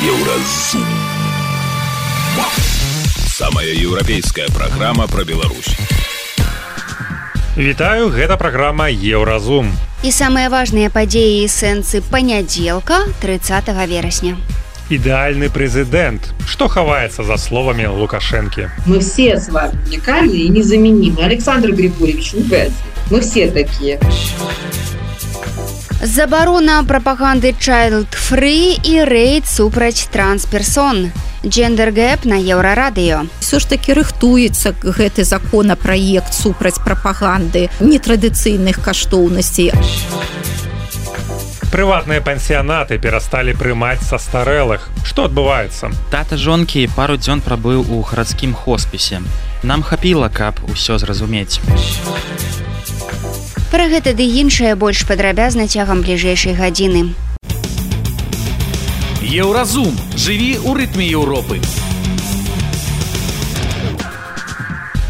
Еўразум. Самая еўрапейская праграма пра Беларусь. Вітаю, гэта праграма Еўразум. І самыя важныя падзеі і сэнсы панядзелка, 30 верасня. Идеальный президент. Что ховается за словами Лукашенки? Мы все с вами уникальны и незаменимы. Александр Григорьевич, мы все такие. Забарона прапаганды child-free і рэйд супраць трансперсон. Джендер-гэп на Еўрарадыё. Все ж таки рыхтуецца гэты законапраект супраць прапаганды нетрадыцыйных каштоўнасцей. Прыватныя пансіянаты перасталі прымаць састарэлых. Што адбываецца? Тата жонкі пару дзён прабыў у гарадскім хоспісе. Нам хапіла, каб усё зразумець. Пра гэта ды іншае больш падрабязна цягам бліжэйшай гадзіны. Еўразум. Жыві ў рытме Еўропы.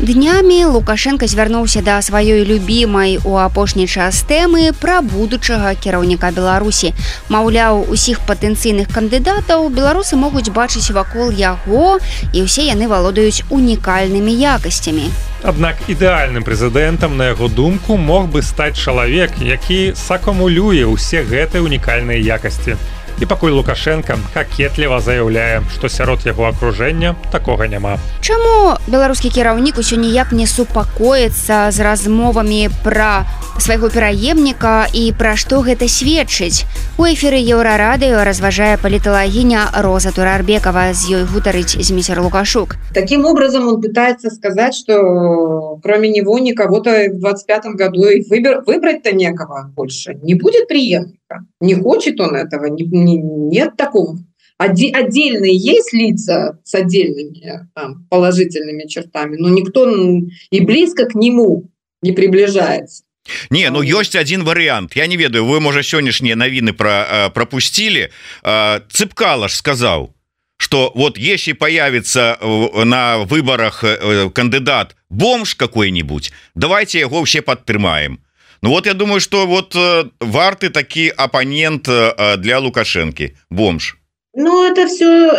Днямі Лукашенко звярнуўся да сваёй любімай у апошні час тэмы пра будучага кіраўніка Беларусі. Маўляў, усіх патэнцыйных кандыдатаў беларусы могуць бачыць вакол яго, і ўсе яны валодаюць унікальнымі якасцямі. Аднак ідэальным прэзідэнтам, на яго думку, мог бы стаць чалавек, які сакумулюе ўсе гэтыя унікальныя якасці. І пакуль Лукашенко какетліва заяўляе, што сярод яго акружэння такога няма. Чаму беларускі кіраўнік усё ніяк не супакоіцца з размовамі пра свайго пераемніка і пра што гэта сведчыць? У эфіры Еўрарадыё разважае паліталагіня Роза Турарбекова, з ёй гутарыць Зміцер Лукашук. Таким образом он пытается сказать, что кроме него никого-то в 25-м году и выбрать-то некого больше. Не будет преемника. Не хочет он этого. Нет такого. Отдельные есть лица с отдельными там, положительными чертами, но никто и близко к нему не приближается. Не, ну ёсць один вариант. Я не ведаю, вы, можа, сённяшнія навіны пропустили. Цыпкалаш сказал, что вот если появится на выборах кандидат бомж какой-нибудь, давайте его все подтрымаем. Ну вот я думаю, что вот варты таки оппонент для Лукашенки, бомж. Ну, это все,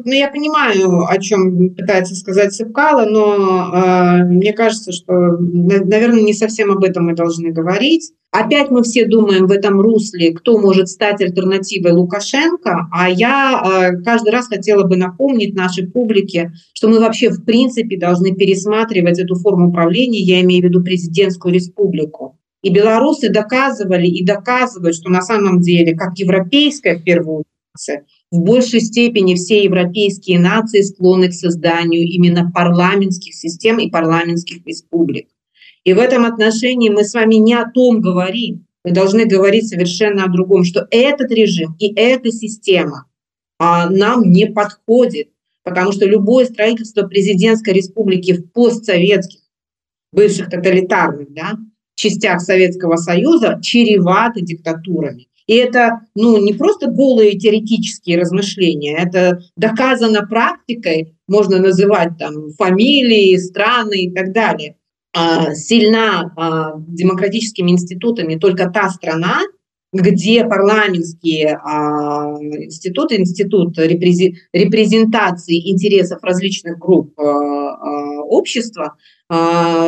я понимаю, о чем пытается сказать Цыпкало, но мне кажется, что, наверное, не совсем об этом мы должны говорить. Опять мы все думаем в этом русле, кто может стать альтернативой Лукашенко, а я каждый раз хотела бы напомнить нашей публике, что мы вообще в принципе должны пересматривать эту форму правления, я имею в виду президентскую республику. И белорусы доказывали и доказывают, что на самом деле, как европейская в первую очередь, в большей степени все европейские нации склонны к созданию именно парламентских систем и парламентских республик. И в этом отношении мы с вами не о том говорим. Мы должны говорить совершенно о другом, что этот режим и эта система нам не подходит, потому что любое строительство президентской республики в постсоветских, бывших тоталитарных частях Советского Союза чревато диктатурами. И это не просто голые теоретические размышления, это доказано практикой, можно называть там фамилии, страны и так далее. Сильна демократическими институтами только та страна, где парламентские институты, институт репрезентации интересов различных групп общества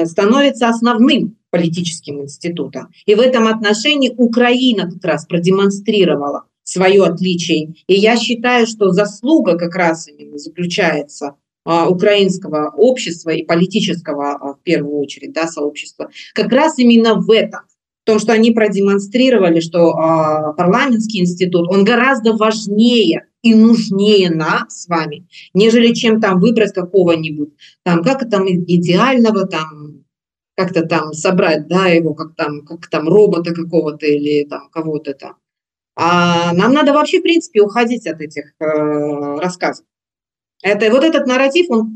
становится основным политическим институтом. И в этом отношении Украина как раз продемонстрировала свое отличие. И я считаю, что заслуга как раз именно заключается украинского общества и политического, в первую очередь, сообщества, как раз именно в этом. В том, что они продемонстрировали, что парламентский институт, он гораздо важнее и нужнее нас с вами, нежели чем там выбрать какого-нибудь, там, как там идеального, там, как-то там собрать, его, как там робота какого-то или там кого-то там. А нам надо вообще, в принципе, уходить от этих рассказов. Вот этот нарратив, он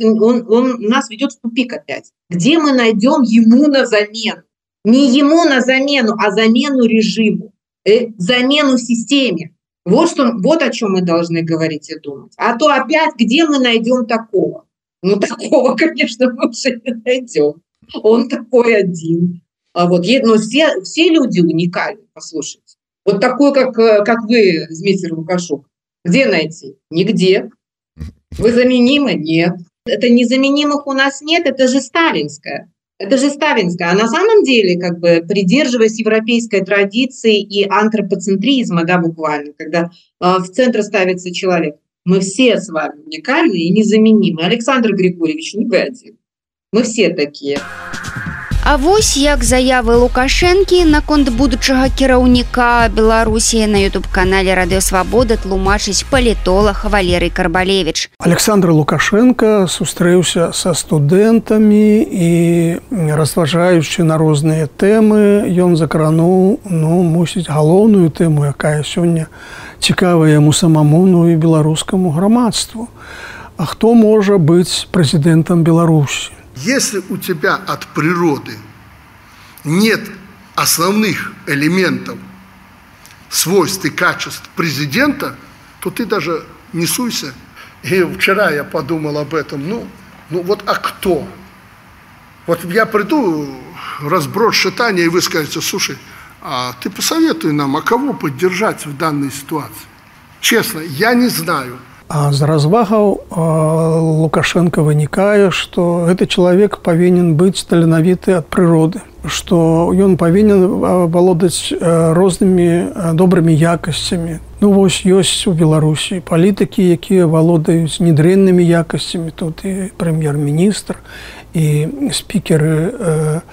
нас ведет в тупик опять. Где мы найдем ему на замену? Не ему на замену, а замену режиму, замену системе. Вот о чем мы должны говорить и думать. А то опять, где мы найдем такого? Такого, конечно, мы уже не найдем. Он такой один. Но все люди уникальны, послушайте. Вот такой, как вы, Змитер Лукашук. Где найти? Нигде. Вы заменимы? Нет. Это незаменимых у нас нет, это же сталинское. Это же сталинское. А на самом деле, как бы придерживаясь европейской традиции и антропоцентризма, да, буквально, когда в центр ставится человек, мы все с вами уникальны и незаменимы. Александр Григорьевич, не вы один. Мы все такие. А вось як заявы Лукашэнкі наконт будучага кіраўніка Беларусі на YouTube-канале Радыёсвабода тлумачыць палітолог Валерый Карбалевич. Александр Лукашенко сустрэўся са студэнтамі і разважаючы на розныя тэмы, ён закрануў, мусіць, галоўную тэму, якая сёння цікавая яму самому, і беларускаму грамадству. А хто можа быць прэзідэнтам Беларусі? Если у тебя от природы нет основных элементов, свойств и качеств президента, то ты даже не суйся. И вчера я подумал об этом. А кто? Вот я приду, разброс шатания, и вы скажете: слушай, а ты посоветуй нам, а кого поддержать в данной ситуации? Честно, я не знаю. А з развагаў Лукашенко вынікае, што гэты чалавек павінен быць таленавіты ад прыроды, што ён павінен валодаць рознымі добрымі якасцямі. Вось ёсць у Беларусі палітыкі, якія валодаюць недрэннымі якасцямі. Тут і прэм'ер-міністр, і спікеры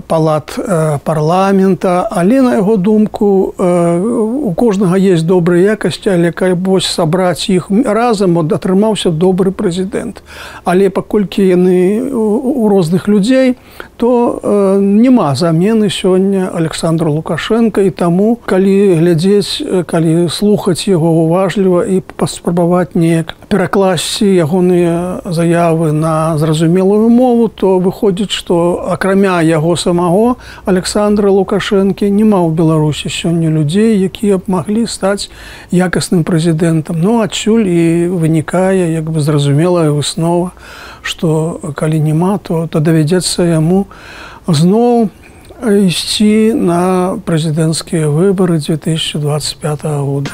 палат парламента, але на яго думку у кожнага есть добрыя якасці, але вось сабраць іх разам атрымаўся добры прэзідэнт. Але паколькі яны у розных людзей, то няма замены сёння Александру Лукашенко, і таму калі глядзець, калі слухаць яго уважліва і паспрабаваць неяк перакласці ягоныя заявы на зразумелую мову, то выходзіць, што акрамя яго самого Александра Лукашэнкі няма ў Беларусі сёння людзей, якія б маглі стаць якасным прэзідэнтам. Адсюль і вынікае зразумелая выснова, што калі няма, то давядзецца яму зноў ісці на прэзідэнцкія выбары 2025 года.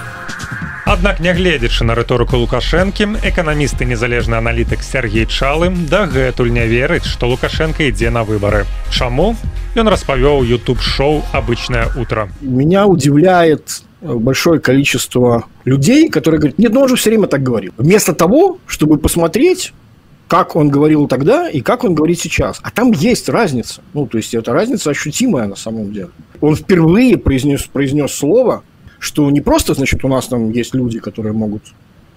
Аднак, нягледзячы на рыторыку Лукашэнкі, эканаміст і незалежны аналітык Сергей Чалы дагэтуль не верыць, што Лукашенко ідзе на выбары. Чаму? Ён распавёў YouTube-шоу «Обычное утро». Меня удивляет большое количество людей, которые говорят: нет, он же все время так говорил. Вместо того, чтобы посмотреть, как он говорил тогда и как он говорит сейчас. А там есть разница. То есть, эта разница ощутимая на самом деле. Он впервые произнес слово, что не просто, значит, у нас там есть люди, которые могут,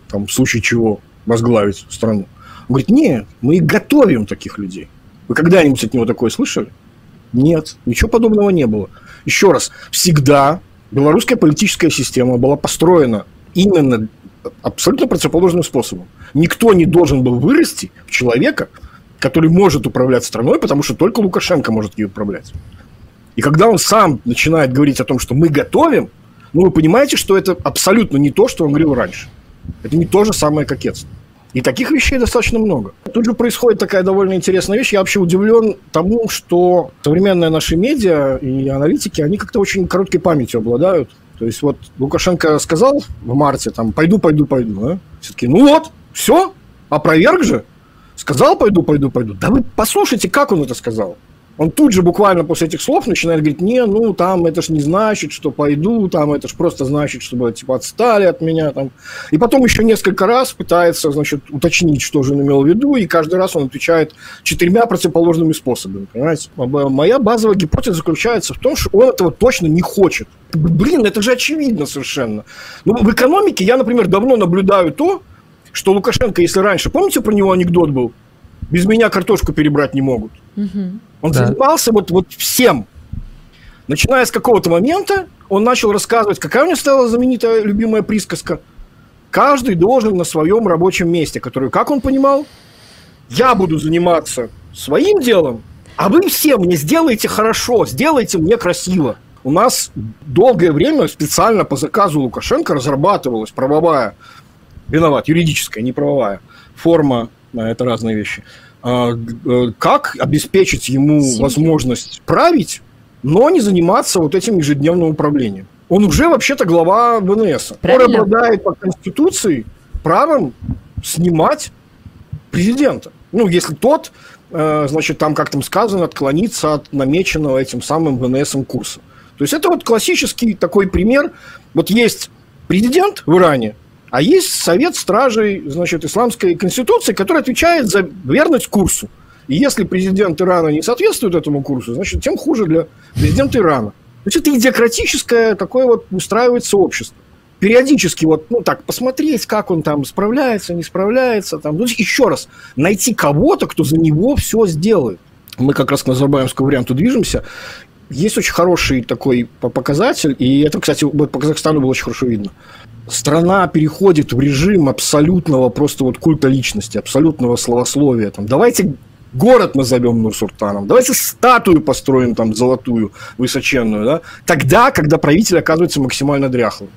там, в случае чего, возглавить страну. Он говорит: нет, мы и готовим таких людей. Вы когда-нибудь от него такое слышали? Нет, ничего подобного не было. Еще раз, всегда белорусская политическая система была построена именно абсолютно противоположным способом. Никто не должен был вырасти в человека, который может управлять страной, потому что только Лукашенко может ее управлять. И когда он сам начинает говорить о том, что мы готовим, вы понимаете, что это абсолютно не то, что он говорил раньше. Это не то же самое кокетство. И таких вещей достаточно много. Тут же происходит такая довольно интересная вещь. Я вообще удивлен тому, что современные наши медиа и аналитики, они как-то очень короткой памятью обладают. То есть, вот Лукашенко сказал в марте, там, пойду. Да? Все таки, все, опроверг же. Сказал, пойду. Да вы послушайте, как он это сказал. Он тут же буквально после этих слов начинает говорить: там это ж не значит, что пойду, там это ж просто значит, чтобы отстали от меня. Там. И потом еще несколько раз пытается, уточнить, что же он имел в виду, и каждый раз он отвечает 4 противоположными способами. Понимаете? Моя базовая гипотеза заключается в том, что он этого точно не хочет. Это же очевидно совершенно. В экономике я, например, давно наблюдаю то, что Лукашенко, если раньше, помните, про него анекдот был? Без меня картошку перебрать не могут. Он занимался вот всем. Начиная с какого-то момента, он начал рассказывать, какая у него стала знаменитая любимая присказка. Каждый должен на своем рабочем месте, которую, как он понимал, я буду заниматься своим делом, а вы все мне сделайте хорошо, сделайте мне красиво. У нас долгое время специально по заказу Лукашенко разрабатывалась правовая, юридическая, не правовая, форма, это разные вещи, как обеспечить ему возможность править, но не заниматься этим ежедневным управлением. Он уже вообще-то глава ВНС. Он обладает по Конституции правом снимать президента. Ну, если тот, значит, там, как там сказано, отклонится от намеченного этим самым ВНСом курса. То есть это вот классический такой пример. Вот есть президент в Иране, а есть совет стражей, значит, исламской конституции, который отвечает за верность курсу. И если президент Ирана не соответствует этому курсу, значит, тем хуже для президента Ирана. То есть это идиократическое такое вот устраивается общество. Периодически вот, ну так, посмотреть, как он там справляется, не справляется. Там. Ну, еще раз, найти кого-то, кто за него все сделает. Мы как раз к назарбаевскому варианту движемся. Есть очень хороший такой показатель, и это, кстати, по Казахстану было очень хорошо видно. Страна переходит в режим абсолютного просто вот культа личности, абсолютного словословия. Там, давайте город назовем Нур-Султаном, давайте статую построим там золотую, высоченную, да? Тогда, когда правитель оказывается максимально дряхлым.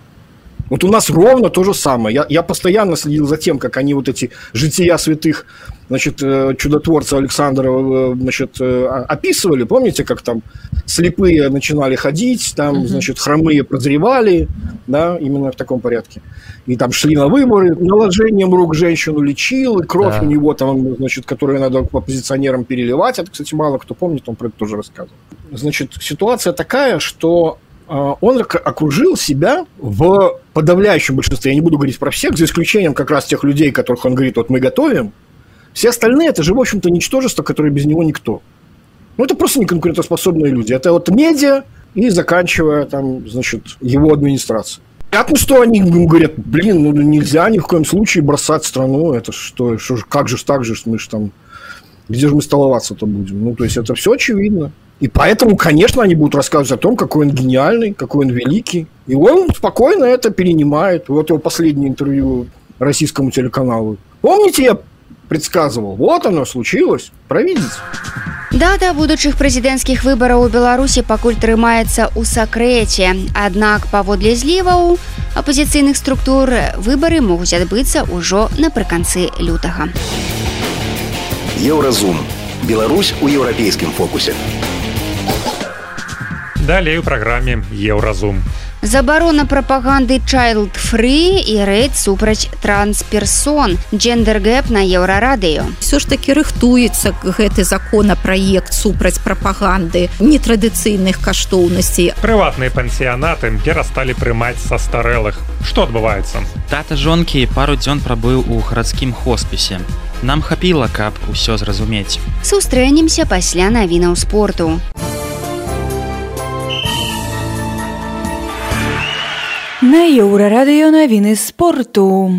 Вот у нас ровно то же самое. Я постоянно следил за тем, как они вот эти жития святых, значит, чудотворца Александра, значит, описывали. Помните, как там слепые начинали ходить, там, значит, хромые прозревали, да, именно в таком порядке. И там шли на выборы, наложением рук женщину лечил, и кровь у него там, значит, которую надо оппозиционерам переливать. Это, кстати, мало кто помнит, он про это тоже рассказывал. Значит, ситуация такая, что он окружил себя в подавляющем большинстве, я не буду говорить про всех, за исключением как раз тех людей, которых он говорит, вот мы готовим. Все остальные, это же, в общем-то, ничтожество, которое без него никто. Ну, это просто неконкурентоспособные люди. Это вот медиа и заканчивая, там, значит, его администрацией. Понятно, что они говорят, блин, ну нельзя ни в коем случае бросать страну, это что же, как же так же, мы же там, где же мы столоваться-то будем? Ну, то есть, это все очевидно. И поэтому, конечно, они будут рассказывать о том, какой он гениальный, какой он великий. И он спокойно это перенимает. Вот его последнее интервью российскому телеканалу. Помните, я предсказывал? Вот оно случилось. Провидите. Дата будучых прэзідэнцкіх выбараў у Беларусі пакуль трымаецца ў сакрэце. Аднак, паводле зліваў апазіцыйных структур, выбары могуць адбыцца ўжо напрыканцы лютага. Еўразум. Беларусь у еўрапейскім фокусе. Далей у праграме Еўразум. Забарона прапаганды child-free і рэйд супраць трансперсон. Джендер-гэп на Еўрарадыё. Все ж таки рыхтуецца гэты законапраект супраць прапаганды нетрадыцыйных каштоўнасцей. Прыватныя пансіянаты перасталі прымаць састарэлых. Што адбываецца? Тата жонкі пару дзён прабыў у гарадскім хоспісе. Нам хапіла, каб усё зразумець. Сустрэнемся пасля навінаў спорту. На Еўрарадыё навіны спорту.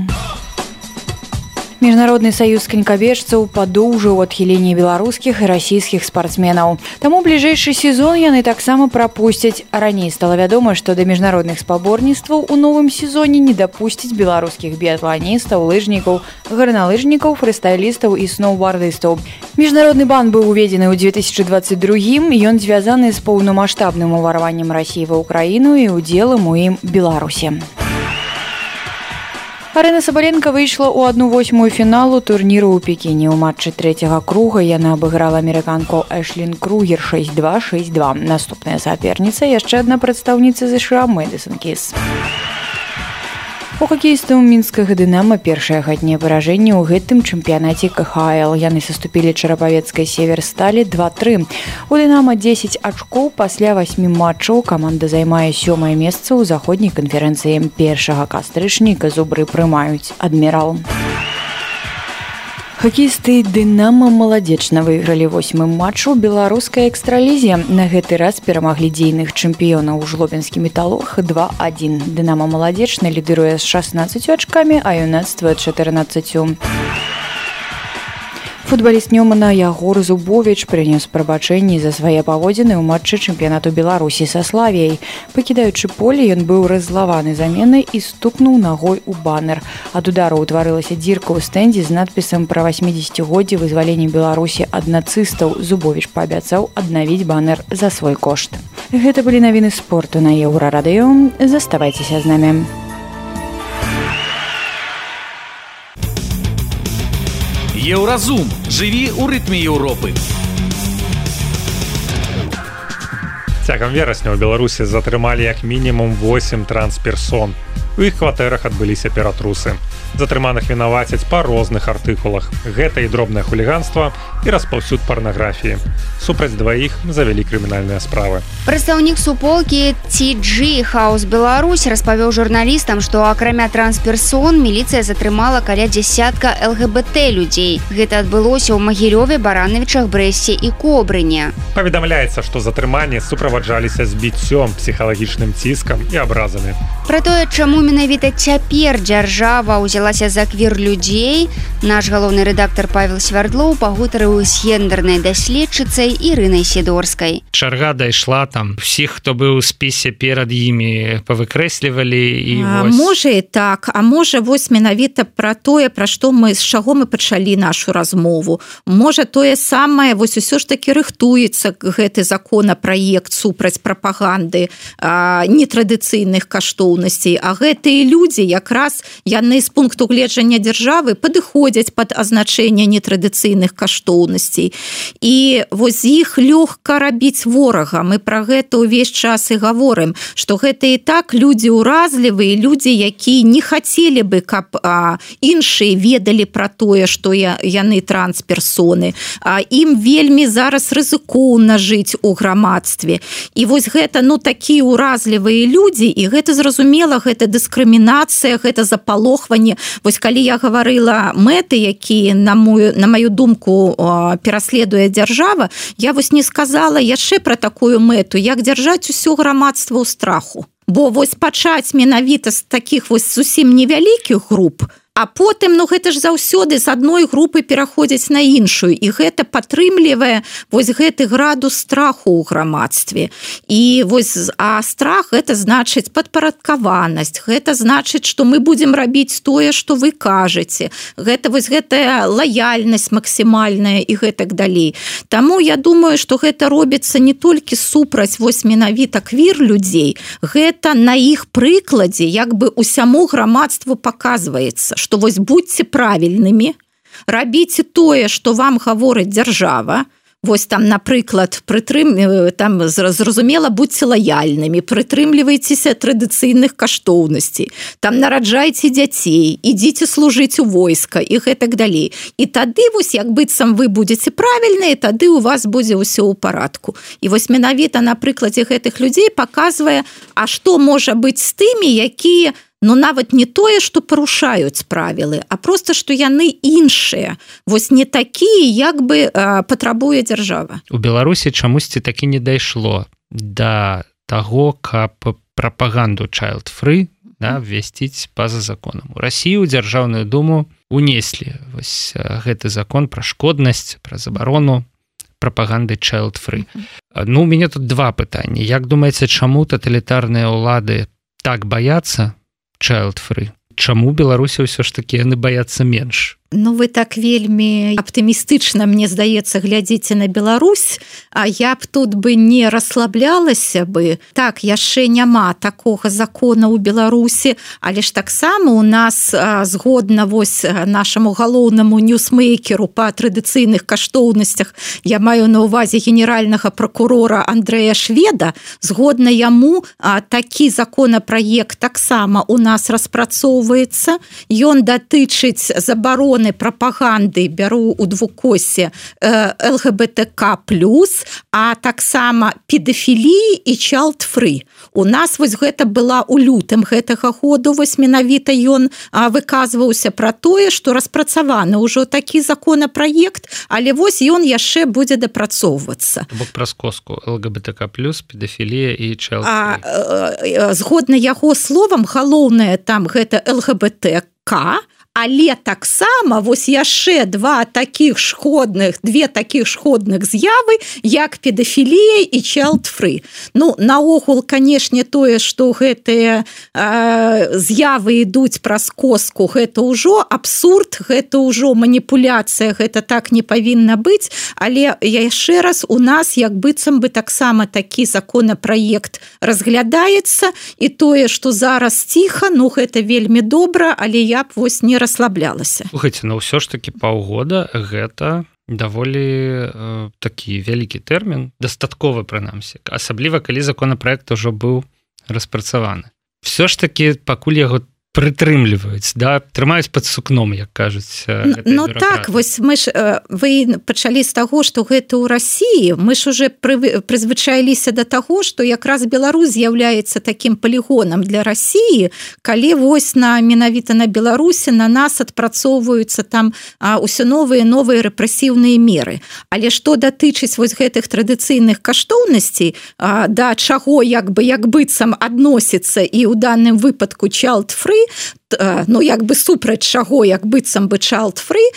Міжнародны саюз канькабежцаў падоўжыў адхіленне беларускіх і расійскіх спартсменаў. Таму бліжэйшы сезон яны таксама прапусцяць. Раней стала вядома, што да міжнародных спаборніцтваў у новым сезоне не дапусцяць беларускіх біятланістаў, лыжнікаў, гарналыжнікаў, фрыстайлістаў і сноўбардыстаў. Міжнародны бан быў уведзены ў 2022-м, ён звязаны з поўнамаштабным уварваннем Расіі ва ўкраіну і удзелам у ім Беларусі. Арына Сабаленко выйшла ў 1/8 фіналу турніру ў Пекіне. У матчы трэцяга круга яна абыграла амерыканку Эшлін Кругер 6-2, 6-2. Наступная саперніца яшчэ адна прадстаўніца ЗША Мэдысон Кіс. У хакеістаў мінскага «Дынама» першае хатняе паражэнне ў гэтым чэмпіянаце КХЛ. Яны саступілі чарапавецкай «Северсталі» 2-3. У «Дынама» 10 ачкоў пасля 8 матчаў. Каманда займае 7-е месца ў заходняй канферэнцыі. 1 кастрычніка зубры прымаюць «Адмірал». Хакеісты «Дынама» маладзечна выйгралі 8-м матчу ў беларускай экстралізе. На гэты раз перамаглі дзейных чэмпіёнаў жлобінскі «Металлург» 2-1. «Дынама» маладзечна лідыруе з 16 ачкамі, а юнацтва 14. Футбаліст Нёмана Ягор Зубовіч прынёс прабачэнні за свае паводзіны ў матчы чэмпіянату Беларусі са Славіяй. Пакідаючы поле, ён быў раззлаваны заменай і стукнуў нагой у банер. Ад удару ўтварылася дзірка ў стэндзе з надпісам пра 80-годдзе вызвалення Беларусі ад нацыстаў. Зубовіч паабяцаў аднавіць банер за свой кошт. Гэта былі навіны спорту на Еўрарадыё. Заставайцеся з намі. Еўразум. Жыві ў рытме Еўропы. Цягам верасня ў Беларусі затрымалі як мінімум 8 трансперсон. У іх кватэрах адбыліся ператрусы. Затрыманых вінавацяць па розных артыкулах. Гэта і дробнае хуліганства, і распаўсюд парнаграфіі. Супраць дваіх завялі крымінальныя справы. Прадстаўнік суполкі TG Хаус Беларусь распавёў журналістам, што акрамя трансперсон міліцыя затрымала каля дзясятка ЛГБТ людзей. Гэта адбылося ў Магілёве, Баранавічах, Брэсце і Кобрыне. Паведамляецца, што затрыманні суправаджаліся збіццём, псіхалагічным ціскам і абразамі. Пра тое, чаму менавіта цяпер дзяржава ўзялася за квір-людзей, наш галоўны рэдактар Павел Свярдлоў пагутарыў з гендернай даследчыцай Ірынай Сідорскай. Чарга дайшла там. Всіх, хто быў у спісе перад імі, павыкрэслівалі і вось... Можа і так, а можа вось менавіта пра тое, пра што мы, з чаго мы пачалі нашу размову. Можа тое самае, вось усё ж такі рыхтуецца гэты законапраект супраць прапаганды нетрадыцыйных каштоўнасцей, а гэтыя людзі якраз яны з пункту гледжання дзяржавы падыходзяць пад азначэнне нетрадыцыйных каштоўнасцей. І вось іх лёгка рабіць ворага. Мы пра гэта ўвесь час і гаворым, што гэта і так людзі ўразлівыя, людзі, якія не хацелі бы, каб іншыя ведалі пра тое, што яны трансперсоны. Ім вельмі зараз рызыкоўна жыць у грамадстве. І вось гэта, такія ўразлівыя людзі, і гэта зразумела, гэта дыскрымінацыя, гэта запалохванне. Вось калі я гаварыла мэты, якія, на маю думку, пераследуе дзяржава, я вось не сказала яшчэ пра такую мэту, як дзяржаць усё грамадства ў страху. Бо вось пачаць менавіта з такіх вось зусім невялікіх груп, а потым, гэта ж заўсёды з адной групы пераходзяць на іншую, і гэта падтрымлівае вось гэты градус страху ў грамадстве. І вось, а страх гэта значыць падпарадкаванасць, гэта значыць, што мы будзем рабіць тое, што вы кажаце. Гэта вось гэтая лаяльнасць максімальная і гэтак далей. Таму я думаю, што гэта робіцца не толькі супраць вось менавіта квір людзей, гэта на іх прыкладзе як бы усяму грамадству паказваецца, што вось будьце правільнымі, рабіце тое, што вам гаворыць дзяржава, вось там, напрыклад, там зразумела, будьце лаяльнымі, прытрымлівайцеся традыцыйных каштоўнасцей, там нараджайце дзяцей, ідзіце служыць у войска і гэтак далей. І тады вось як быццам вы будзеце правільныя, тады у вас будзе ўсё ў парадку. І вось менавіта на прыкладзе гэтых людзей паказвае, а што можа быць з тымі, якія нават не тое, што парушаюць правілы, а проста, што яны іншыя. Вось не такія, як бы патрабуе дзяржава. У Беларусі чамусьці такі не дайшло да таго, каб прапаганду child-free ввесціць па-за законам. У Расіі ў Дзяржаўную Думу унеслі вось гэты закон пра шкоднасць, пра забарону прапаганды child-free. У мяне тут два пытанні. Як думаеце, чаму таталітарныя ўлады так баяцца child-free? Чаму Беларусі ўсё ж такі яны баяцца менш? Вы так вельмі аптымістычна, мне здаецца, глядзіце на Беларусь, а я б тут бы не расслаблялася бы. Так, яшчэ няма такога закона ў Беларусі, але ж таксама у нас згодна вось нашаму галоўнаму ньюсмейкеру па традыцыйных каштоўнасцях, я маю на ўвазе генеральнага пракурора Андрэя Шведа, згодна яму такі законапраект таксама у нас распрацоўваецца. Ён датычыць забароны прапаганды, бяру у двукосе, ЛГБТК+, а таксама педафіліі і child-free. У нас вось гэта была ў лютым гэтага году, вось менавіта ён выказваўся пра тое, што распрацаваны ўжо такі законапраект, але вось ён яшчэ будзе дапрацоўвацца. Бок праз коску ЛГБТК+, педафілія і child-free. Згодна яго словам, галоўнае там гэта ЛГБТК, але таксама вось яшчэ две такіх шкодных з'явы, як педафілія і child-free. Наогул, канешне, тое, што гэтыя з'явы ідуць праз коску, гэта ўжо абсурд, гэта ўжо маніпуляцыя, гэта так не павінна быць, але яшчэ раз у нас як быццам бы таксама такі законапраект разглядаецца, і тое, што зараз ціха, гэта вельмі добра, але я б вось не расслаблялася. Слухайте, но ўсё ж таки паўгода гэта даволі такі вялікі тэрмін, дастатковы прынамсі, асабліва калі законапраект ужо быў распрацаваны. Все ж таки пакуль яго прытрымліваюць, да, трымаюць пад сукном, як кажуць. Ну так, вось мы ж вы пачалі з таго, што гэта ў Расіі, мы ж уже прызвычаіліся да таго, што якраз Беларусь з'яўляецца такім палігонам для Расіі, калі вось менавіта на Беларусі на нас адпрацоўваюцца там ўсё новыя рэпрэсіўныя меры. Але што датычыць вось гэтых традыцыйных каштоўнасцей, да чаго як быццам адносіцца і ў данным выпадку child-free, ну як бы супраць чаго як быццам бы child-free,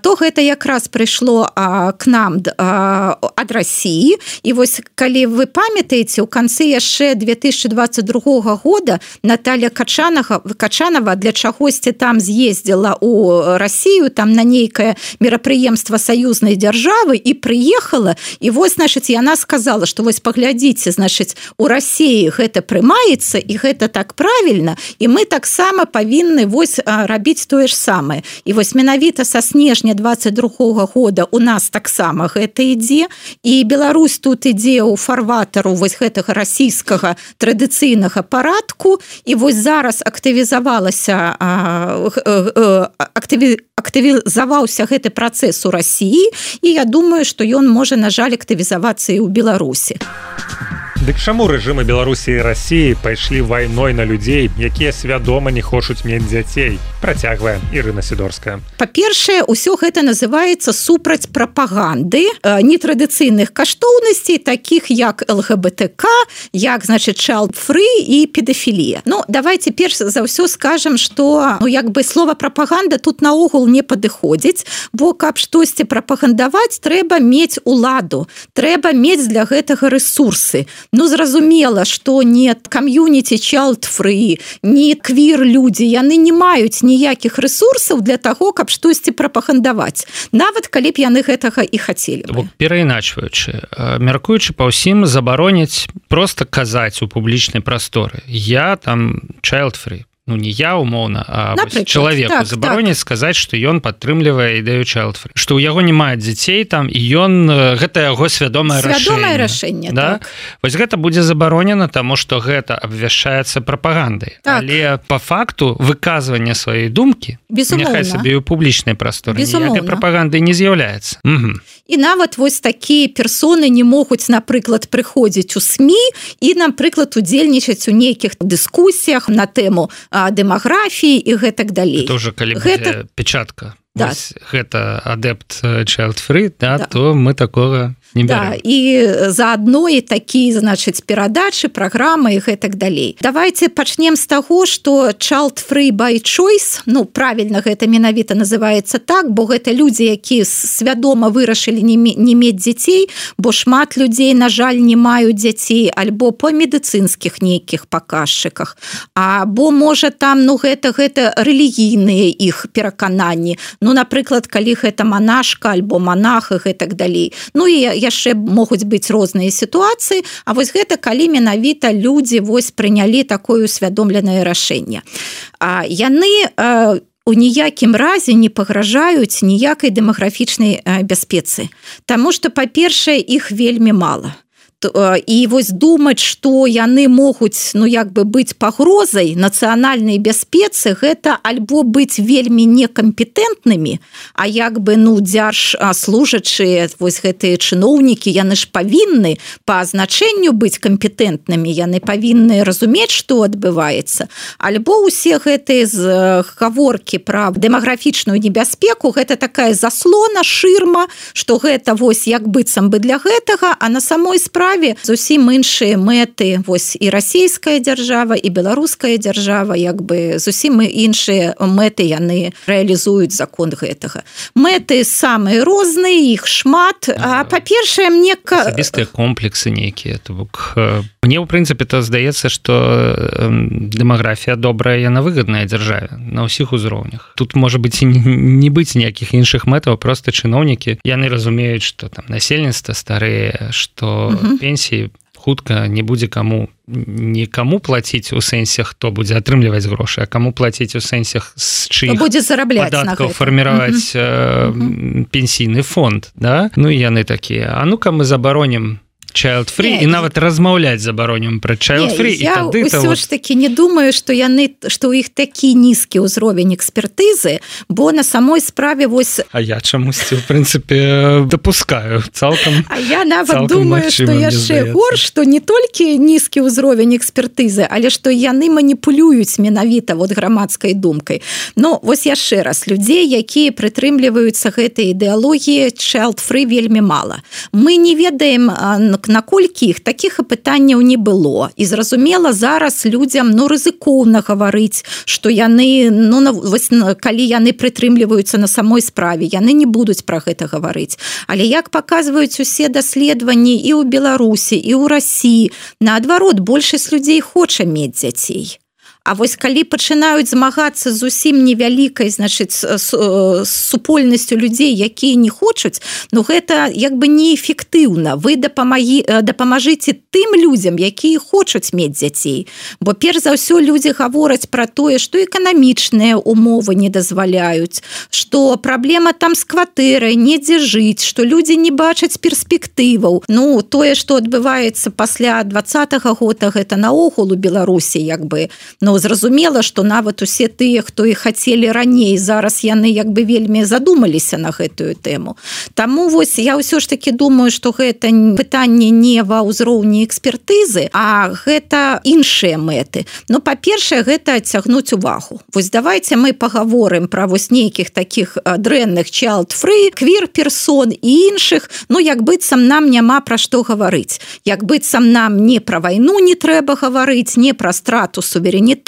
то гэта якраз прыйшло к нам ад Расіі. І вось калі вы памятаеце, у канцы яшчэ 2022 года Наталья Качанова для чагосьці там з'ездзіла ў Расію, там на нейкае мерапрыемства саюзнай дзяржавы і прыехала, і вось, значыць, яна сказала, што вось паглядзіце, значыць, у Расіі гэта прымаецца і гэта так правільна, і мы таксама павінны вось рабіць тое ж самае. І вось менавіта са снежня 22 года у нас таксама гэта ідзе, і Беларусь тут ідзе ў фарватару вось гэтага расійскага традыцыйнага парадку, і вось зараз актывізаваўся гэты працэс у Расіі, і я думаю, што ён можа, на жаль, актывізавацца і ў Беларусі. Дык чаму рэжымы Беларусі і Расіі пайшлі вайной на людзей, якія свядома не хочуць мець дзяцей? Працягвае Ірына Сідорская. Па-першае, усё гэта называецца супраць прапаганды нетрадыцыйных каштоўнасцей, такіх як ЛГБТК, як, значыць, child-free і педафілія. Ну, давайте перш за ўсё скажам, што як бы слова прапаганда тут наогул не падыходзіць, бо каб штосьці прапагандаваць, трэба мець уладу, трэба мець для гэтага рэсурсы. Ну, зразумела, што не кам'юніці child-free, не квір-людзі, яны не маюць ніякіх рэсурсаў для таго, каб штосьці прапагандаваць, нават калі б яны гэтага і хацелі бы. Перайначваючы, мяркуючы па ўсім, забароніць проста казаць у публічнай прасторы. Я там child-free. Ну, не я, умоўна, а чалавеку забароніць сказаць, што ён падтрымлівае ідэю child-free. Што ў яго не мае дзяцей там, і ён, гэта яго свядомае рашэнне. Да? Так. Вось гэта будзе забаронена, таму што гэта абвяшчаецца прапагандай. Так. Але па факту выказвання сваёй думкі, няхай сабе ў публічнай прасторы, ніякай прапаганды не з'яўляецца. І нават вось такія персоны не могуць, напрыклад, прыходзіць у СМІ і, напрыклад, удзельнічаць у нейкіх дыскусіях на тэму дэмаграфіі і гэтак далей. Это уже калі будзе печатка. Да. Гэта адэпт child-free, да, то мы такога не бярем. Да, і заадно і такі, значыць, перадачы, праграмы і гэтак далей. Давайте пачнем з таго, што child-free by choice, ну, правільна гэта менавіта называецца так, бо гэта людзі, якія свядома вырашылі не мець дзяцей, бо шмат людзей, на жаль, не маюць дзяцей, альбо па медыцынскіх нейкіх паказчыках, або, можа, там, ну, гэта рэлігійныя іх перакананні. Ну, напрыклад, калі гэта манашка альбо манах і гэтак далей. Ну, і яшчэ могуць быць розныя сітуацыі, а вось гэта калі менавіта людзі вось прынялі такое усвядомленае рашэнне. Яны у ніякім разе не пагражаюць ніякай дэмаграфічнай бяспецы, таму што, па-першае, іх вельмі мала. І вось думаць, што яны могуць, ну, як бы быць пагрозай нацыянальнай бяспецы, гэта альбо быць вельмі некампетэнтнымі, а як бы, ну, дзяржслужачыя, вось гэтыя чыноўнікі, яны ж павінны па азначэнню быць кампетэнтнымі, яны павінны разумець, што адбываецца. Альбо ўсе гэтыя гаворкі пра дэмаграфічную небяспеку, гэта такая заслона, шырма, што гэта вось як быццам бы для гэтага, а на самой справе зусім іншыя мэты, вось і расійская дзяржава, і беларуская дзяржава, як бы зусім іншыя мэты яны рэалізуюць закон гэтага. Мэты самыя розныя, іх шмат, а па-першае, мне... Асабістыя комплексы нейкія, то бок... Мне, ў прынцыпе, то здаецца, што дэмаграфія добрая, яна выгадная дзяржаве на ўсіх узроўнях. Тут, можа быць, і не быць ніякіх іншых мэтаў, проста чыноўнікі, яны разумеюць, што там насельніцтва старыя, што пенсіі хутка не будзе никому платіць у сэнсе, хто будзе атрымліваць грошы, а каму платіць у сэнсях з чыіх будзе зарабляць падаткаў фарміраваць пенсійны фонд, да? Ну і яны такія, а ну-ка мы забаронім child free і нават размаўляць забаронім пра child free. Я ўсё ж таки не думаю, што у іх такі нізкі ўзровень экспертызы, бо на самой справе вось... А я чамусьці, в прынцыпе, дапускаю цалкам. А я нават думаю, што яшчэ горш, што не толькі нізкі ўзровень экспертызы, але што яны маніпулююць менавіта вот грамадскай думкай. Ну, вось яшчэ раз, людзей, якія прытрымліваюцца гэтай ідэалогіі child free вельмі мала. Мы не ведаем, наколькі іх такіх пытанняў не было. І зразумела, зараз людзям рызыкоўна гаварыць, што яны, калі яны прытрымліваюцца на самой справе, яны не будуць пра гэта гаварыць. Але як паказваюць усе даследаванні і ў Беларусі, і ў Расіі, наадварот, большасць людзей хоча мець дзяцей. А вось калі пачынаюць змагацца з зусім невялікай, значыць, супольнасцю людзей, якія не хочуць, гэта як бы неэфектыўна. Вы дапамажыце тым людзям, якія хочуць мець дзяцей. Бо перш за ўсё людзі гавораць пра тое, што эканамічныя умовы не дазваляюць, што праблема там з кватэрай, недзе жыць, што людзі не бачаць перспектываў. Тое, што адбываецца пасля 20-го года, гэта наогул у Беларусі, як бы, зразумела, што нават усе тыя, хто і хацелі раней, зараз яны як бы вельмі задумаліся на гэтую тэму. Таму вось я ўсё ж таки думаю, што гэта пытанне не ва ўзроўні экспертызы, а гэта іншыя мэты. Па-першае, гэта адцягнуць увагу. Вось давайте мы пагаворым пра вось нейкіх такіх дрэнных child free, квір-персон і іншых, як быццам нам няма пра што гаварыць. Як быццам нам не пра вайну не трэба гаварыць, не пра страту суверэнітэту,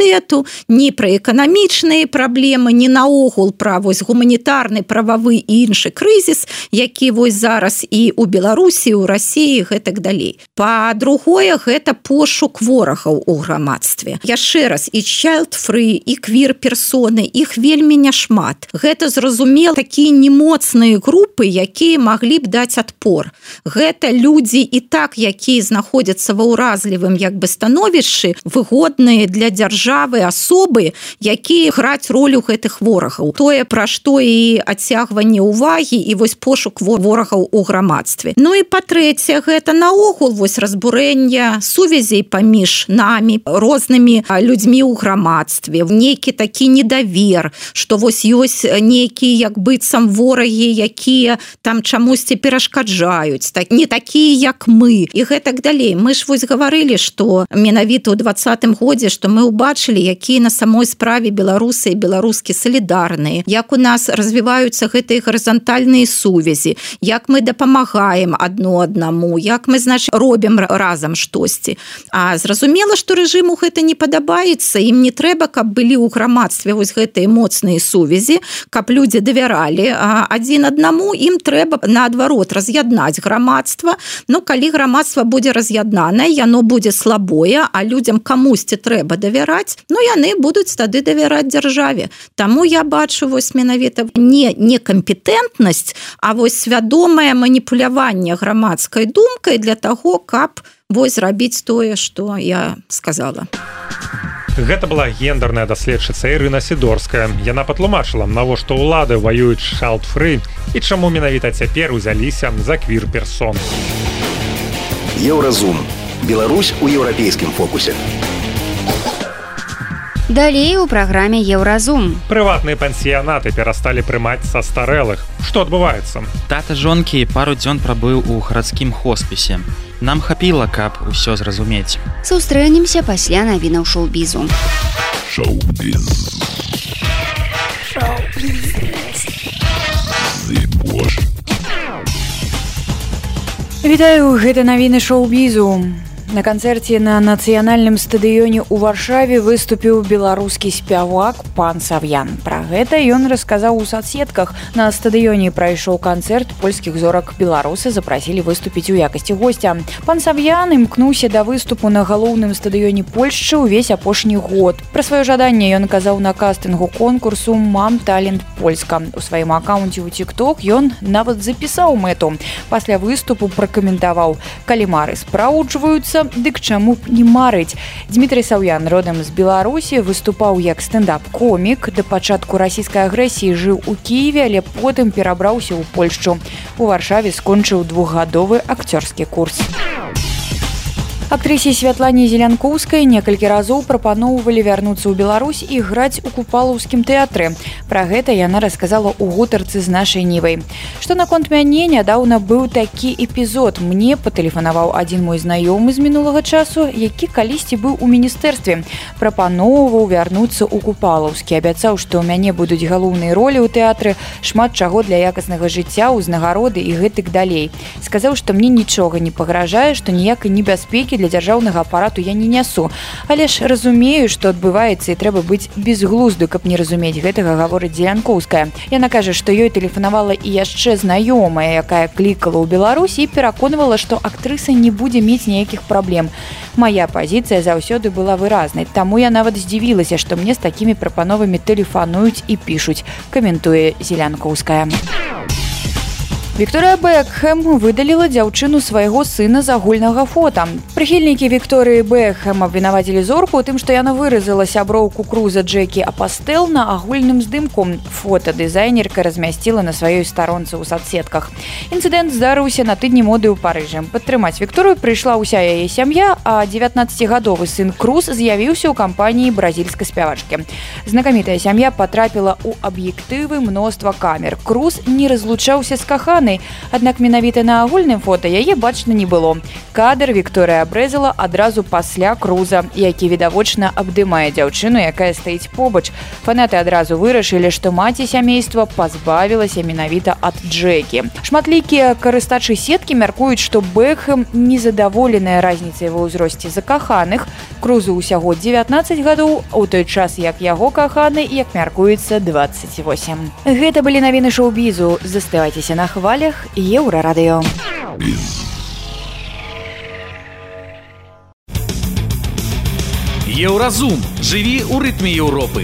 ні пра эканамічныя праблемы, ні наогул пра вось гуманітарны, прававы і іншы крызіс, які вось зараз і ў Беларусі, у Расіі, гэтак далей. Па-другое, гэта пошук ворагаў у грамадстве. Яшчэ раз, і child free, і квір-персоны, іх вельмі няшмат. Гэта, зразумела, такія немоцныя групы, якія маглі б даць адпор. Гэта людзі і так, якія знаходзяцца ва ўразлівым як бы становішчы, выгодныя для дзяржавы асобы, якія граць ролю гэтых ворагаў. Тое, пра што і адцягванне ўвагі, і вось пошук ворагаў у грамадстве. І па-трэцяе, гэта наогул вось разбурэнне сувязей паміж намі, рознымі людзьмі ў грамадстве, нейкі такі недавер, што вось ёсць нейкія як быццам ворагі, якія там чамусьці перашкаджаюць, не такія, як мы, і гэтак далей. Мы ж вось гаварылі, што менавіта ў 20-м годзе, што мы убачылі, якія на самой справе беларусы і беларускі салідарныя, як у нас развіваюцца гэтыя гарызантальныя сувязі, як мы дапамагаем адно аднаму, як мы, значыць, робім разам штосьці. А зразумела, што рэжыму гэта не падабаецца, ім не трэба, каб былі ў грамадстве вось гэтыя моцныя сувязі, каб людзі давяралі адзін аднаму, ім трэба, наадварот, раз'яднаць грамадства. Калі грамадства будзе раз'яднанае, яно будзе слабое, а людзям камусьці трэба давяраць, яны будуць тады давяраць дзяржаве. Таму я бачу вось менавіта не некампетэнтнасць, а вось свядомае маніпуляванне грамадскай думкай для таго, каб вось рабіць тое, што я сказала. Гэта была гендерная даследчыца Ірына Сідорская. Яна патлумачыла, навошта ўлады ваююць child free і чаму менавіта цяпер узяліся за квір-персон. Еўразум. Беларусь у еўрапейскім фокусе. Далей у праграме Еўразум. Прыватныя пансіянаты перасталі прымаць састарэлых. Што адбываецца? Тата жонкі пару дзён прабыў у гарадскім хоспісе. Нам хапіла, каб усё зразумець. Сустрэнемся пасля навінаў шоу-бізу. Шоу-біз. Вітаю, гэта навіны шоу-бізу. На канцэрце на нацыянальным стадыёне ў Варшаве выступіў беларускі спявак пан Сав'ян. Пра гэта ён расказаў у сацсетках. На стадыёне прайшоў канцэрт польскіх зорак. Беларусы запрасілі выступіць у якасці госця. Пан Сав'ян імкнуўся да выступу на галоўным стадыёне Польшчы ўвесь апошні год. Пра сваё жаданне ён казаў на кастынгу конкурсу «Мам талент Польска». У сваім акаунце ў TikTok ён нават запісаў мэту. Пасля выступу пракаментаваў: «Калі мары спраўджваюцца, вярнуцца, дык чаму б не марыць. Дмітрий Саўян, родам з Беларусі, выступаў як стендап-комік. Да пачатку расійскай агрэсіі жыў у Кіеве, але потым перабраўся ў Польшчу. У Варшаве скончыў 2-гадовы акцёрскі курс. Актрысе Святлане Зелянкоўскай некалькі разоў прапаноўвалі вярнуцца ў Беларусь і граць у купалаўскім тэатры. Пра гэта яна расказала ў гутарцы з нашай Нівай. Што наконт мяне, нядаўна быў такі эпізод. Мне патэлефанаваў адзін мой знаёмы з мінулага часу, які калісьці быў у міністэрстве. Прапаноўваў вярнуцца ў купалаўскі. Абяцаў, што ў мяне будуць галоўныя ролі ў тэатры, шмат чаго для якаснага жыцця, узнагароды і гэтак далей. Сказаў, што мне нічога не пагражае, што ніякай небяспекі для дзяржаўнага апарату я не нясу. Але ж разумею, што адбываецца і трэба быць безглузду, каб не разумець гэтага, гаворыць Зелянкоўская. Яна кажа, што ёй тэлефанавала і яшчэ знаёмая, якая клікала ў Беларусь і пераконвала, што актрыса не будзе мець ніякіх праблем. Мая пазіцыя заўсёды была выразнай, таму я нават здзівілася, што мне з такімі прапановамі тэлефануюць і пішуць, каментуе Зелянкоўская. Вікторыя Бекхэм выдаліла дзяўчыну свайго сына з агульнага фота. Прыхільнікі Вікторыі Бекхэм абвінавацілі зорку ў тым, што яна выразала сяброўку круза Джекі Апастел на агульным здымку. Фота дызайнерка размясціла на сваёй старонцы ў садсетках. Інцыдэнт здарыўся на тыдні моды ў Парыжы. Падтрымаць Вікторыю прыйшла ўся яе сям'я, а 19-гадовы сын Круз з'явіўся ў кампаніі бразільскай спявачкі. Знакамітая сям'я патрапіла ў аб'ектывы мноства камер. Круз не разлучаўся з каханай, аднак менавіта на агульным фота яе бачна не было. Кадр Вікторыя абрэзала адразу пасля Круза, які відавочна абдымае дзяўчыну, якая стаіць побач. Фанаты адразу вырашылі, што маці сямейства пазбавілася менавіта ад Джекі. Шматлікія карыстачы сеткі мяркуюць, што Бекхэм незадаволеная разніцай ва ўзросце закаханых. Крузу ўсяго 19 гадоў, у той час як яго каханы, як мяркуецца, 28. Гэта былі навіны шоу-бізу. Заставайцеся на хвалях Еўрарадыё. Еўразум. Жыві ў рытме Еўропы.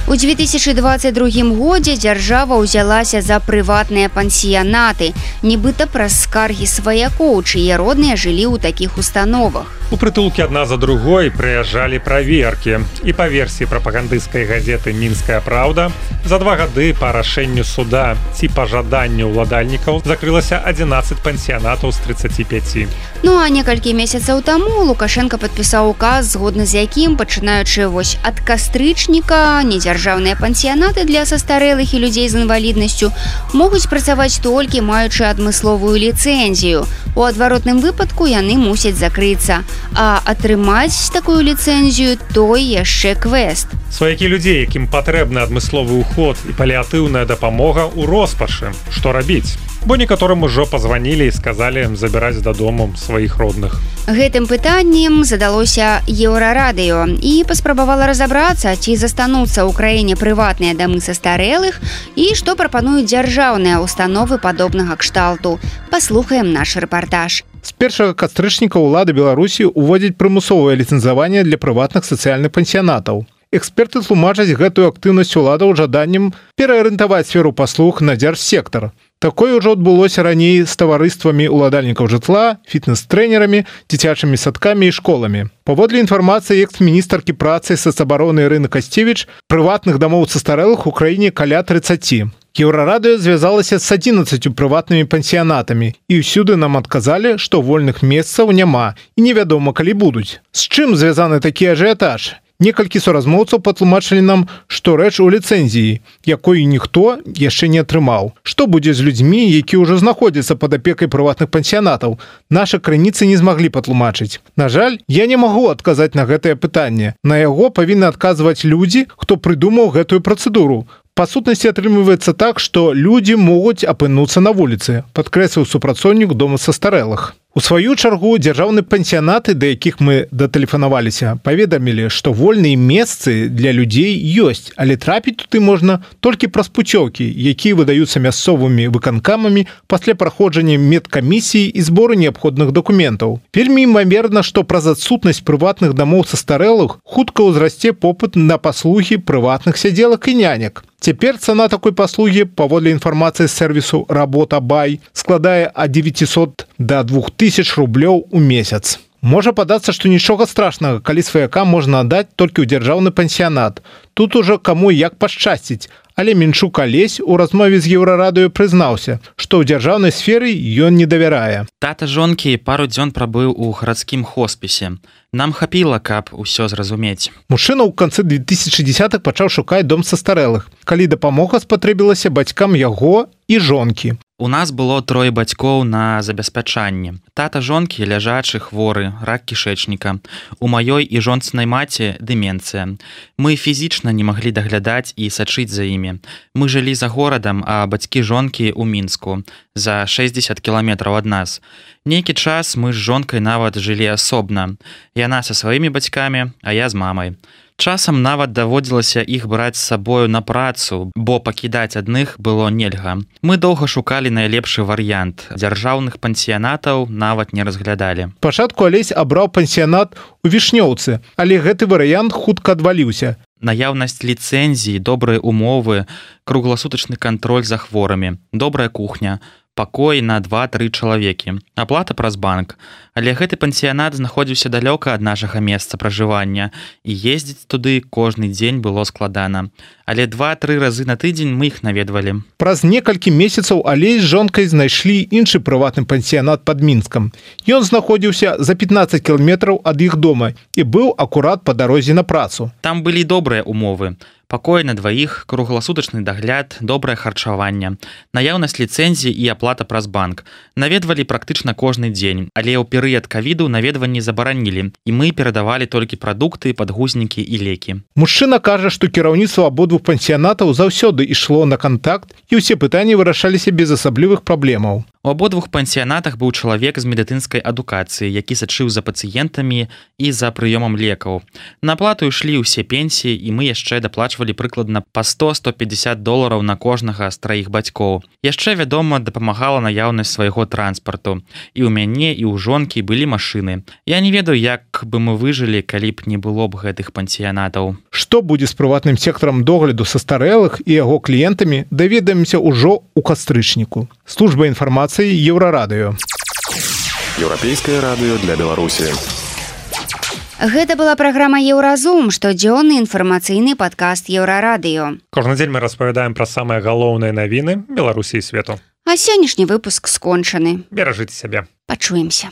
У 2022 годзе дзяржава ўзялася за прыватныя пансіянаты, нібыта праз скаргі сваякоў, чые родныя жылі ў такіх установах. У прытулкі адна за другой прыязджалі праверкі. І па версіі прапагандысцкай газеты «Мінская праўда», за 2 гады па рашэнню суда ці па жаданню ўладальнікаў закрылася 11 пансіянатаў з 35. Ну а некалькі месяцаў таму Лукашенко падпісаў указ, згодна з якім, пачынаючы вось ад кастрычніка, недзяржаўныя пансіянаты для састарэлых і людзей з інваліднасцю могуць працаваць толькі маючы адмысловую ліцэнзію. У адваротным выпадку яны мусяць закрыцца. А атрымаць такую ліцэнзію той яшчэ квест. Сваякі людзей, якім патрэбны адмысловы ўход і паліатыўная дапамога ў роспашы. Што рабіць? Бо некаторым ужо пазванілі і сказалі забіраць дадому сваіх родных. Гэтым пытаннем задалося Еўрарадыё і паспрабавала разабрацца, ці застануцца ў краіне прыватныя дамы састарэлых і што прапануюць дзяржаўныя установы падобнага кшталту. Паслухаем наш рэпартаж. С 1 кастрычніка ўлады Беларусі ўводзяць прымусовае ліцэнзаванне для прыватных сацыяльных пансіянатаў. Эксперты тлумачаць гэтую актыўнасць уладаў жаданнем пераарыентаваць сферу паслуг на дзяржсектар. Такое ўжо адбылося раней з таварыствамі ўладальнікаў жытла, фітнес-трэнерамі, дзіцячымі садкамі і школамі. Паводле інфармацыі экс-міністаркі працы і сацабароны Ірыны Касцевіч, прыватных дамоў састарэлых у краіне каля 30. Еўрарадыё звязалася з 11 прыватнымі пансіянатамі, і ўсюды нам адказалі, што вольных месцаў няма і невядома, калі будуць. З чым звязаны такі ажыятаж? Некалькі суразмоўцаў патлумачылі нам, што рэч у ліцэнзіі, якой ніхто яшчэ не атрымаў. Што будзе з людзьмі, які ўжо знаходзяцца пад апекай прыватных пансіянатаў? Нашы крыніцы не змаглі патлумачыць. На жаль, я не магу адказаць на гэтае пытанне. На яго павінны адказваць людзі, хто прыдумаў гэтую працэдуру. Па сутнасці атрымліваецца так, што людзі могуць апынуцца на вуліцы, падкрэсліў супрацоўнік дома састарэлых. У сваю чаргу дзяржаўныя пансіянаты, да якіх мы датэлефанаваліся, паведамілі, што вольныя месцы для людзей ёсць, але трапіць туды можна толькі праз пуцёўкі, якія выдаюцца мясцовымі выканкамамі пасля праходжання медкамісіі і збору неабходных дакументаў. Вельмі імаверна, што праз адсутнасць прыватных дамоў састарэлых хутка ўзрасце попыт на паслугі прыватных сядзелак і нянек. Цяпер цана такой паслугі, паводле інфармацыі з сэрвісу «Работа Бай», складае ад 900 до 2000 рублёў у месяц. Можа падацца, што нічога страшнага, калі сваяка можна аддаць толькі ў дзяржаўны пансіянат. Тут ужо каму як пашчасціць. Але Менчук Алесь у размове з Еўрарадыё прызнаўся, што ў дзяржаўнай сферы ён не давярае. Тата жонкі пару дзён прабыў у гарадскім хоспісе. Нам хапіла, каб усё зразумець. Мужчына ў канцы 2010-х пачаў шукаць дом састарэлых, калі дапамога спатрэбілася бацькам яго і жонкі. У нас было 3 бацькоў на забеспячанне. Тата жонкі ляжачы, хворы, рак кішэчніка. У маёй і жонцынай маці дэмэнцыя. Мы фізічна не маглі даглядаць і сачыць за імі. Мы жылі за горадам, а бацькі жонкі ў Мінску, за 60 кіламетраў ад нас. Нейкі час мы з жонкай нават жылі асобна. Яна са сваімі бацькамі, а я з мамай. Часам нават даводзілася іх браць з сабою на працу, бо пакідаць адных было нельга. Мы доўга шукалі найлепшы варыянт. Дзяржаўных пансіянатаў нават не разглядалі. Пачатку Алесь абраў пансіянат у Вішнёўцы, але гэты варыянт хутка адваліўся. Наяўнасць ліцэнзій, добрыя умовы, кругласутачны кантроль за хворымі, добрая кухня, пакой на 2-3 чалавекі, аплата праз банк. Але гэты пансіянат знаходзіўся далёка ад нашага месца пражывання, і ездзіць туды кожны дзень было складана. Але 2-3 разы на тыдзень мы іх наведвалі. Праз некалькі месяцаў Алесь з жонкай знайшлі іншы прыватны пансіянат пад Мінскам. Ён знаходзіўся за 15 кіламетраў ад іх дома і быў акурат па дарозе на працу. Там былі добрыя умовы. Пакой на 2, кругласутачны дагляд, добрае харчаванне, наяўнасць ліцэнзій і аплата праз банк. Наведвалі практычна кожны дзень, але ў перыяд ковіду наведванні забаранілі, і мы перадавалі толькі прадукты, падгузнікі і лекі. Мужчына кажа, што кіраўніцтва абодвух пансіянатаў заўсёды ішло на кантакт, і ўсе пытанні вырашаліся без асаблівых праблемаў. У абодвух пансіянатах быў чалавек з медыцынскай адукацыі, які сачыў за пацыентамі і за прыёмам лекаў. На аплату ішлі ўсе пенсіі, і мы яшчэ даплачвалі прыкладна па $100-150 на кожнага з 3 бацькоў. Яшчэ, вядома, дапамагала наяўнасць свайго транспарту. І ў мяне, і ў жонкі былі машыны. Я не ведаю, як бы мы выжылі, калі б не было б гэтых пансіянатаў. Што будзе з прыватным сектарам догляду састарэлых і яго кліентамі, даведаемся ўжо ў кастрычніку. Служба інфармацыі Еўрарадыё. Еўрапейскае радыё для Беларусі. Гэта была праграма «Еўразум», штодзённы інфармацыйны падкаст Еўрарадыё. Кожны дзень мы распавядаем пра самыя галоўныя навіны Беларусі і свету. А сённяшні выпуск скончаны. Беражыце сябе. Пачуемся.